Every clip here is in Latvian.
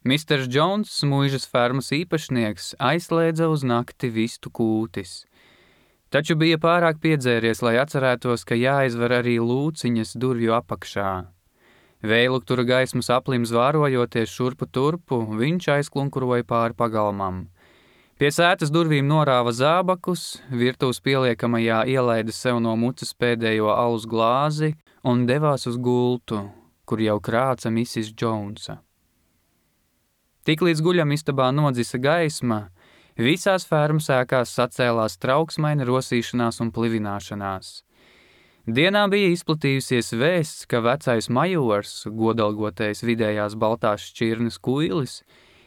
Misters Džons, muižas fermas īpašnieks, aizslēdza uz nakti vistu kūtis. Taču bija pārāk piedzēries, lai atcerētos, ka jāizver arī lūciņas durvju apakšā. Vējluktura gaismas aplim zvārojoties šurpu turpu, viņš aizklunkuroja pāri pagalmam. Pie sētas durvīm norāva zābakus, virtuves pieliekamajā ielaida sev no mucas pēdējo alus glāzi un devās uz gultu, kur jau krāca Mrs. Džonsa. Tiklīdz guļam istabā nodzisa gaisma, visās fermas ēkās sacēlās trauksmaina rosīšanās un plivināšanās. Dienā bija izplatījusies vēsts, ka vecais majors, godalgotais vidējās baltās šķirnes kuilis,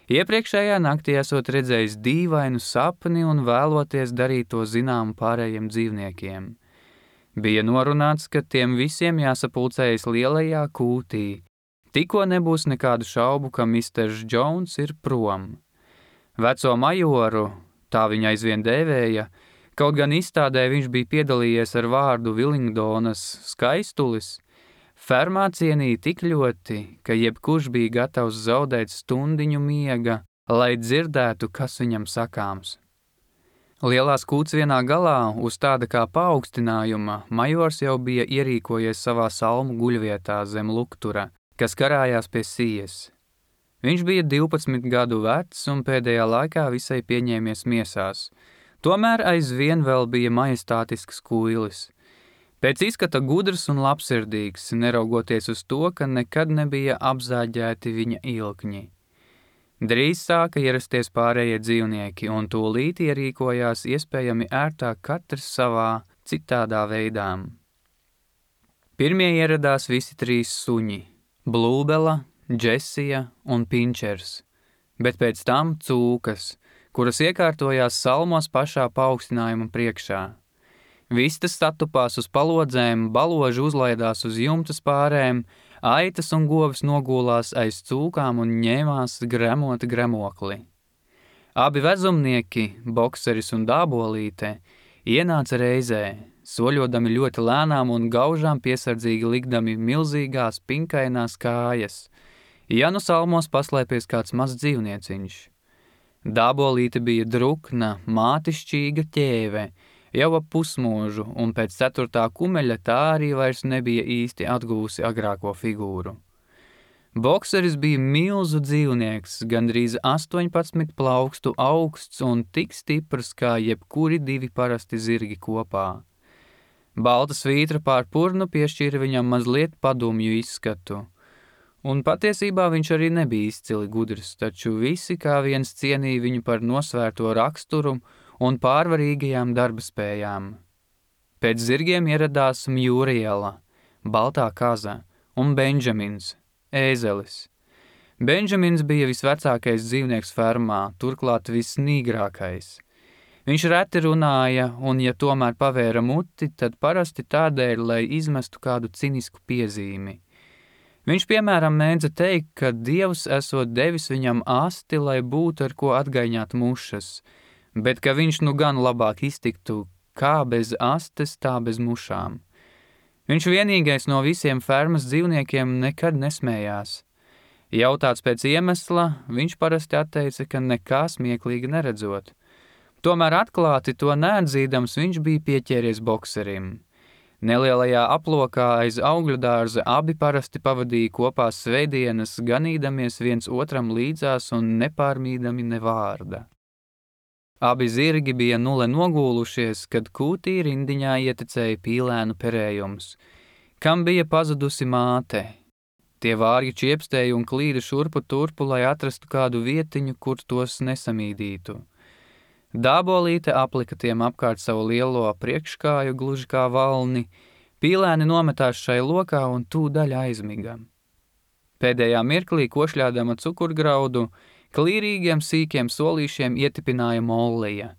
iepriekšējā naktī esot redzējis dīvainu sapni un vēloties darīt to zinām pārējiem dzīvniekiem. Bija norunāts, ka tiem visiem jāsapulcējas lielajā kūtī, tikko nebūs nekādu šaubu, ka Misters Džons ir prom. Veco majoru, tā viņa aizvien dēvēja, kaut gan izstādē viņš bija piedalījies ar vārdu Vilingdonas skaistulis, fermā cienīja tik ļoti, ka jebkurš bija gatavs zaudēt stundiņu miega, lai dzirdētu, kas viņam sakāms. Lielās kūts vienā galā, uz tāda kā paaugstinājuma, majors jau bija ierīkojies savā salmu guļvietā zem luktura, kas karājās pie sijas. Viņš bija 12 gadu vecs un pēdējā laikā visai pieņēmies miesās. Tomēr aizvien vēl bija majestātisks kuilis. Pēc izskata gudrs un labsirdīgs, neraugoties uz to, ka nekad nebija apzāģēti viņa ilkņi. Drīz sāka ierasties pārējie dzīvnieki, un tūlīt ierīkojās iespējami ērtāk katrs savā citādā veidā. Pirmie ieradās visi 3 suņi – Blūbela, Džesija un Pinčers, bet pēc tam cūkas, kuras iekārtojās salmos pašā paaugstinājuma priekšā. Vistas statupās uz palodzēm, baloži uzlaidās uz jumtas pārēm, aitas un govis nogulās aiz cūkām un ņēmās gremot gremokli. Abi vezumnieki, bokseris un dābolīte, ienāca reizē, soļodami ļoti lēnām un gaužām piesardzīgi likdami milzīgās pinkainās kājas, ja nu salmos paslēpies kāds mazs dzīvnieciņš. Dābolīte bija drukna, mātišķīga ķēve, jau ap pusmūžu, un pēc 4. kumeļa tā arī vairs nebija īsti atguvusi agrāko figūru. Bokseris bija milzu dzīvnieks, gandrīz 18 plaukstu augsts un tik stiprs kā jebkuri 2 parasti zirgi kopā. Balta svītra pār purnu piešķīra viņam mazliet padumju izskatu, un patiesībā viņš arī nebija izcili gudrs, taču visi kā viens cienīja viņu par nosvērto raksturu un pārvarīgajām darbaspējām. Pēc zirgiem ieradās Mjūriela, baltā kaza, un Benžamins, ēzelis. Benžamins bija visvecākais dzīvnieks fermā, turklāt visnīgrākais. Viņš reti runāja, un ja tomēr pavēra muti, tad parasti tādēļ, lai izmestu kādu cinisku piezīmi. Viņš, piemēram, mēdza teikt, ka Dievs esot devis viņam asti, lai būtu ar ko atgaiņāt mušas, bet ka viņš nu gan labāk iztiktu kā bez astes, tā bez mušām. Viņš vienīgais no visiem fermas dzīvniekiem nekad nesmējās. Jautāts pēc iemesla, viņš parasti atteica, ka nekā smieklīgi neredzot. Tomēr atklāti to neatzīdams viņš bija pieķēries bokserim. Nelielajā aplokā aiz augļu dārza abi parasti pavadīja kopā svētdienas, ganīdamies viens otram līdzās un nepārmīdami ne vārda. Abi zirgi bija nule nogūlušies, kad kūtī rindiņā ietekmēja pīlēnu perējums, kam bija pazudusi māte. Tie vārgi čiepstēja un klīda šurpu turpu, lai atrastu kādu vietiņu, kur tos nesamīdītu. Dābolīte aplika tiem apkārt savu lielo priekškāju gluži kā valni, pīlēni nometās šai lokā un tūdaļ aizmiga. Pēdējā mirklī košļādama cukurgraudu, klīrīgiem sīkiem solīšiem ietipināja Mollija,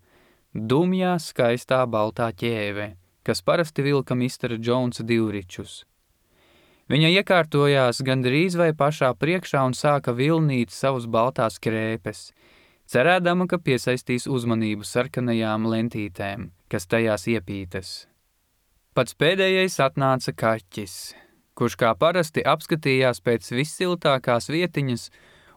dumjā, skaistā baltā ķēve, kas parasti vilka Mistera Džonsa divričus. Viņa iekārtojās gandrīz vai pašā priekšā un sāka vilnīt savus baltās krēpes, cerēdama, ka piesaistīs uzmanību sarkanajām lentītēm, kas tajās iepītas. Pats pēdējais atnāca kaķis, kurš kā parasti apskatījās pēc vissiltākās vietiņas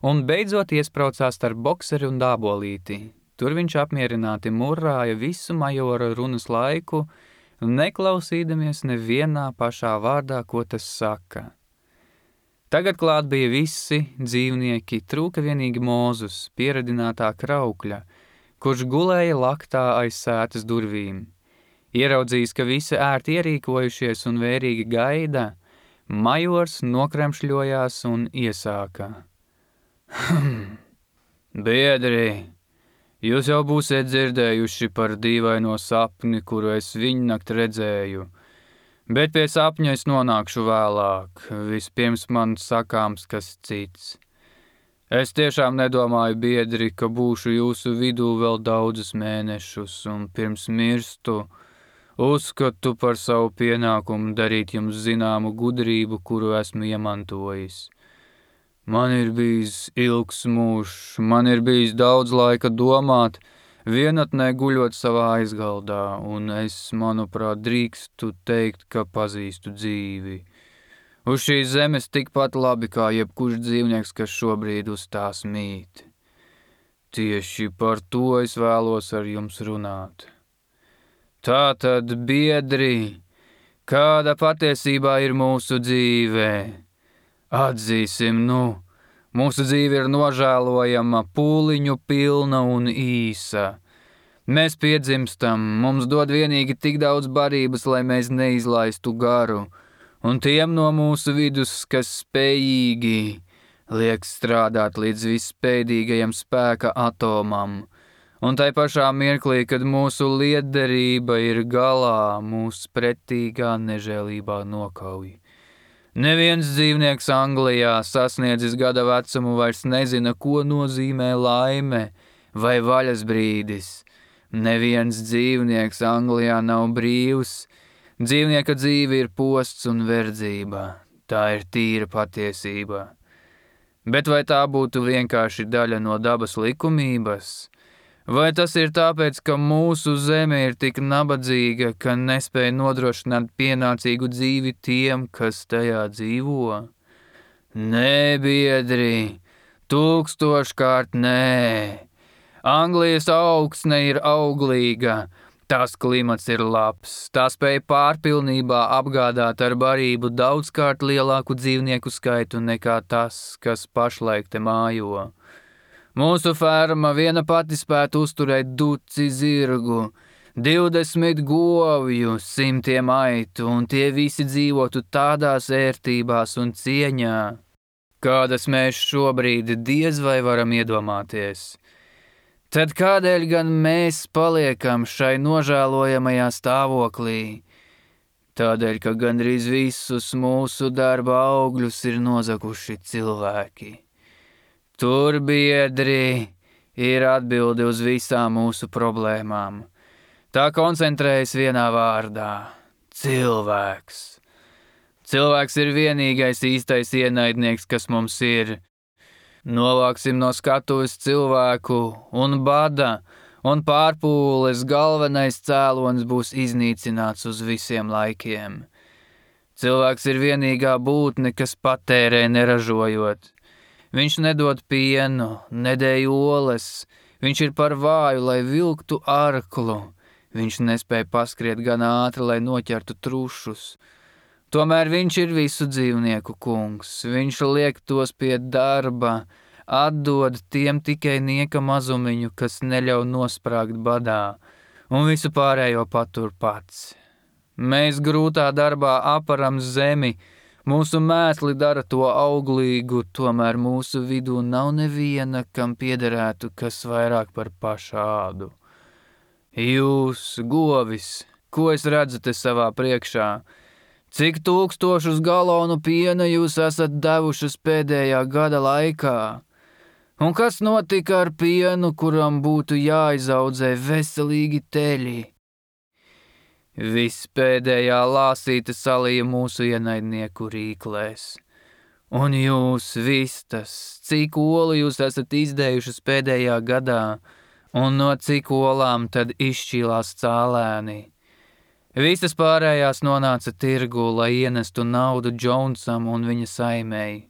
un beidzot iespraucās starp bokseri un dābolīti. Tur viņš apmierināti murrāja visu majora runas laiku, neklausīdamies nevienā pašā vārdā, ko tas saka. Tagad klāt bija visi dzīvnieki, trūka vienīgi Mūzus, pieradinātā kraukļa, kurš gulēja laktā aiz sētas durvīm. Ieraudzījis, ka visi ērti ierīkojušies un vērīgi gaida, majors nokremšļojās un iesāka. Biedri, jūs jau būsiet dzirdējuši par dīvaino sapni, kuru es viņnakt redzēju, bet pie sapņa es nonākšu vēlāk, vispirms man sakāms kas cits. Es tiešām nedomāju, biedri, ka būšu jūsu vidū vēl daudzus mēnešus, un pirms mirstu uzskatu par savu pienākumu darīt jums zināmu gudrību, kuru esmu iemantojis. Man ir bijis ilgs mūžs, man ir bijis daudz laika domāt, vienatnē guļot savā aizgaldā, un es, manuprāt, drīkstu teikt, ka pazīstu dzīvi. Uz šīs zemes tikpat labi kā jebkurš dzīvnieks, kas šobrīd uz tās mīt. Tieši par to es vēlos ar jums runāt. Tātad, biedri, kāda patiesībā ir mūsu dzīve? Atzīsim, mūsu dzīve ir nožēlojama, pūliņu pilna un īsa. Mēs piedzimstam, mums dod vienīgi tik daudz barības, lai mēs neizlaistu garu, un tiem no mūsu vidus, kas spējīgi, liek strādāt līdz visspēdīgajam spēka atomam, un tai pašā mirklī, kad mūsu lietderība ir galā, mūs pretīgā nežēlībā nokauj. Neviens dzīvnieks Anglijā sasniedzis gada vecumu vairs nezina, ko nozīmē laime vai vaļas brīdis. Neviens dzīvnieks Anglijā nav brīvs. Dzīvnieka dzīve ir posts un verdzība. Tā ir tīra patiesība. Bet vai tā būtu vienkārši daļa no dabas likumības? Vai tas ir tāpēc, ka mūsu zeme ir tik nabadzīga, ka nespēja nodrošināt pienācīgu dzīvi tiem, kas tajā dzīvo? Nē, biedri, 1000-kārt nē. Anglijas augsne ir auglīga, tās klimats ir labs, tā spēja pārpilnībā apgādāt ar barību daudzkārt lielāku dzīvnieku skaitu nekā tas, kas pašlaik te mājo. Mūsu ferma viena pati spētu uzturēt duci zirgu, 20 govju, 100 aitu, un tie visi dzīvotu tādās ērtībās un cieņā, kādas mēs šobrīd diez vai varam iedomāties. Tad kādēļ gan mēs paliekam šai nožēlojamajā stāvoklī? Tādēļ, ka gandrīz visus mūsu darba augļus ir nozaguši cilvēki. Tur, biedri, ir atbilde uz visām mūsu problēmām. Tā koncentrējas vienā vārdā – cilvēks. Cilvēks ir vienīgais īstais ienaidnieks, kas mums ir. Novāksim no skatuves cilvēku, un bada un pārpūles galvenais cēlonis būs iznīcināts uz visiem laikiem. Cilvēks ir vienīgā būtne, kas patērē neražojot. Viņš nedod pienu, nedēj oles, viņš ir par vāju, lai vilktu arklu, viņš nespēja paskriet gan ātri, lai noķertu trušus. Tomēr viņš ir visu dzīvnieku kungs, viņš liek tos pie darba, atdod tiem tikai nieka mazumiņu, kas neļauj nosprāgt badā, un visu pārējo patur pats. Mēs grūtā darbā aparam zemi, mūsu mēsli dara to auglīgu, tomēr mūsu vidū nav neviena, kam piederētu kas vairāk par pašādu. Jūs, govis, ko es redzu te savā priekšā? Cik 1000 galonu piena jūs esat devušas pēdējā gada laikā? Un kas notika ar pienu, kuram būtu jāizaudzē veselīgi teļi? Viss pēdējā lāsīte salīja mūsu ienaidnieku rīklēs. Un jūs vistas, cik olu jūs esat izdējušas pēdējā gadā, un no cik olām tad izšķīlās cālēni. Visas pārējās nonāca tirgū, lai ienestu naudu Džonsam un viņa saimei.